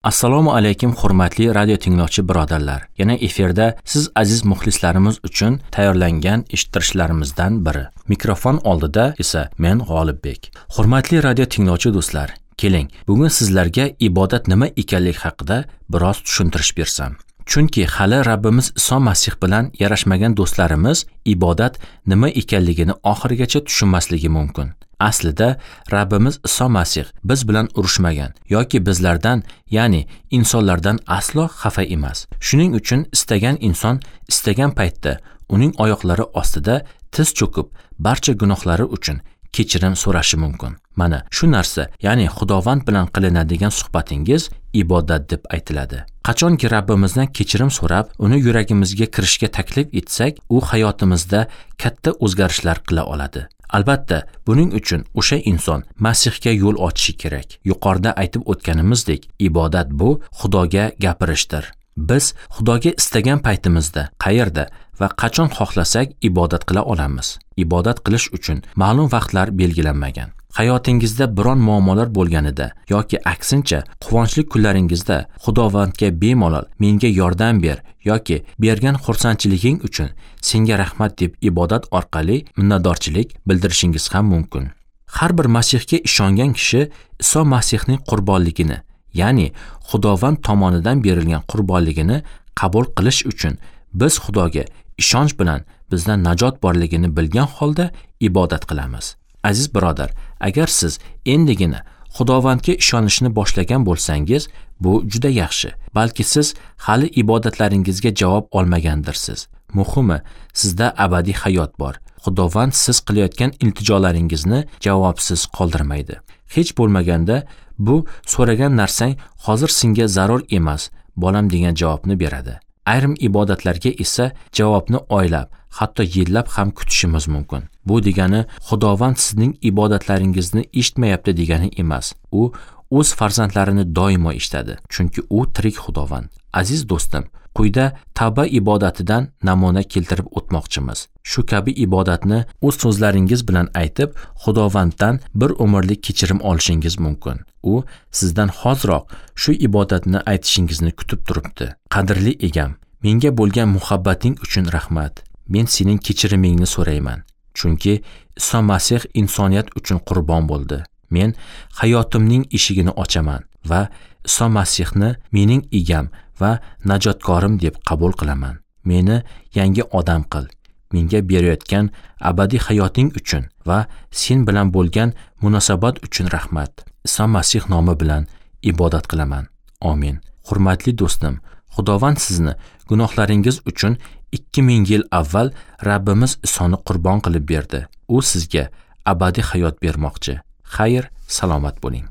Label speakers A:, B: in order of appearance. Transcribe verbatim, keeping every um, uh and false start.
A: Assalomu alaykum hurmatli radio tinglovchi birodarlar. Yana efirda siz aziz muxlislarimiz uchun tayyorlangan eshittirishlarimizdan biri. Mikrofon oldida esa men G'olibbek. Hurmatli radio tinglovchi do'stlar, keling, bugun sizlarga ibodat nima ekanligi haqida biroz tushuntirish bersam. Chunki hali Rabbimiz Iso Masih bilan yarashmagan do'stlarimiz ibodat nima ekanligini oxirigacha tushunmasligi mumkin. Aslida Rabbimiz Iso Masih biz bilan urushmagan yoki bizlardan, ya'ni insonlardan aslo xafa emas. Shuning uchun istagan inson istagan paytda uning oyoqlari ostida tiz cho'kib, barcha gunohlari uchun kechirim so'rashi mumkin. Mana shu narsa, ya'ni Xudovand bilan qilinadigan suhbatingiz ibodat deb aytiladi. Qachonki Rabbimizdan kechirim so'rab, uni yuragimizga kirishga taklif etsak, u hayotimizda katta o'zgarishlar qila oladi. Albatta, buning uchun o'sha inson Masihga yo'l ochishi kerak. Yuqorida aytib o'tganimizdek, ibodat bu Xudoga gapirishdir. Biz Xudoga istagan paytimizda, qayerda va qachon xohlasak ibodat qila olamiz. Ibodat qilish uchun ma'lum vaqtlar belgilanmagan. Hayotingizda biron muammolar bo'lganida yoki aksincha quvonchli kunlaringizda Xudovandga bemalol menga yordam ber yoki bergan xursandchiliging uchun senga rahmat deb ibodat orqali minnatdorchilik bildirishingiz ham mumkin. Har bir Masihga ishongan kishi Iso Masihning qurbonligini, ya'ni Xudovand tomonidan berilgan qurbonligini qabul qilish uchun biz Xudoga ishonch bilan bizdan najot borligini bilgan holda ibodat qilamiz. Aziz birodar, agar siz endigina Xudovandga ishonishni boshlagan bo'lsangiz, bu juda yaxshi. Balki siz hali ibodatlaringizga javob olmagandirsiz. Muhimi, sizda abadiy hayot bor. Xudovand siz qilayotgan iltijolaringizni javobsiz qoldirmaydi. Hech bo'lmaganda bu so'ragan narsang hozir senga zarur emas, bolam degan javobni beradi. Ayrim ibodatlarga esa javobni oylab, hatto yillab ham kutishimiz mumkin. Bu degani Xudovand sizning ibodatlaringizni eshitmayapti degani emas. U o'z farzandlarini doimo eshitadi, chunki u tirik Xudovand. Aziz do'stim, quyida tavba ibodatidan namuna keltirib o'tmoqchimiz. Shu kabi ibodatni o'z so'zlaringiz bilan aytib, Xudovanddan bir umrlik kechirim olishingiz mumkin. U sizdan hoziroq shu ibodatni aytishingizni kutib turibdi. Qadrli egam, menga bo'lgan muhabbating uchun rahmat. Men sening kechirimingni so'rayman. Chunki Iso Masih insoniyat uchun qurbon bo'ldi. Men hayotimning eshigini ochaman va Iso Masihni mening egam va najotkorim deb qabul qilaman. Meni yangi odam qil. Menga berayotgan abadiy hayoting uchun va sen bilan bo'lgan munosabat uchun rahmat. Iso Masih nomi bilan ibodat qilaman. Amin. Hurmatli do'stim, Xudovand sizni gunohlaringiz uchun ikki ming yil avval Rabbimiz Isoni qurbon qilib berdi. U sizga abadiy hayot bermoqchi. Xayr, salomat bo'ling.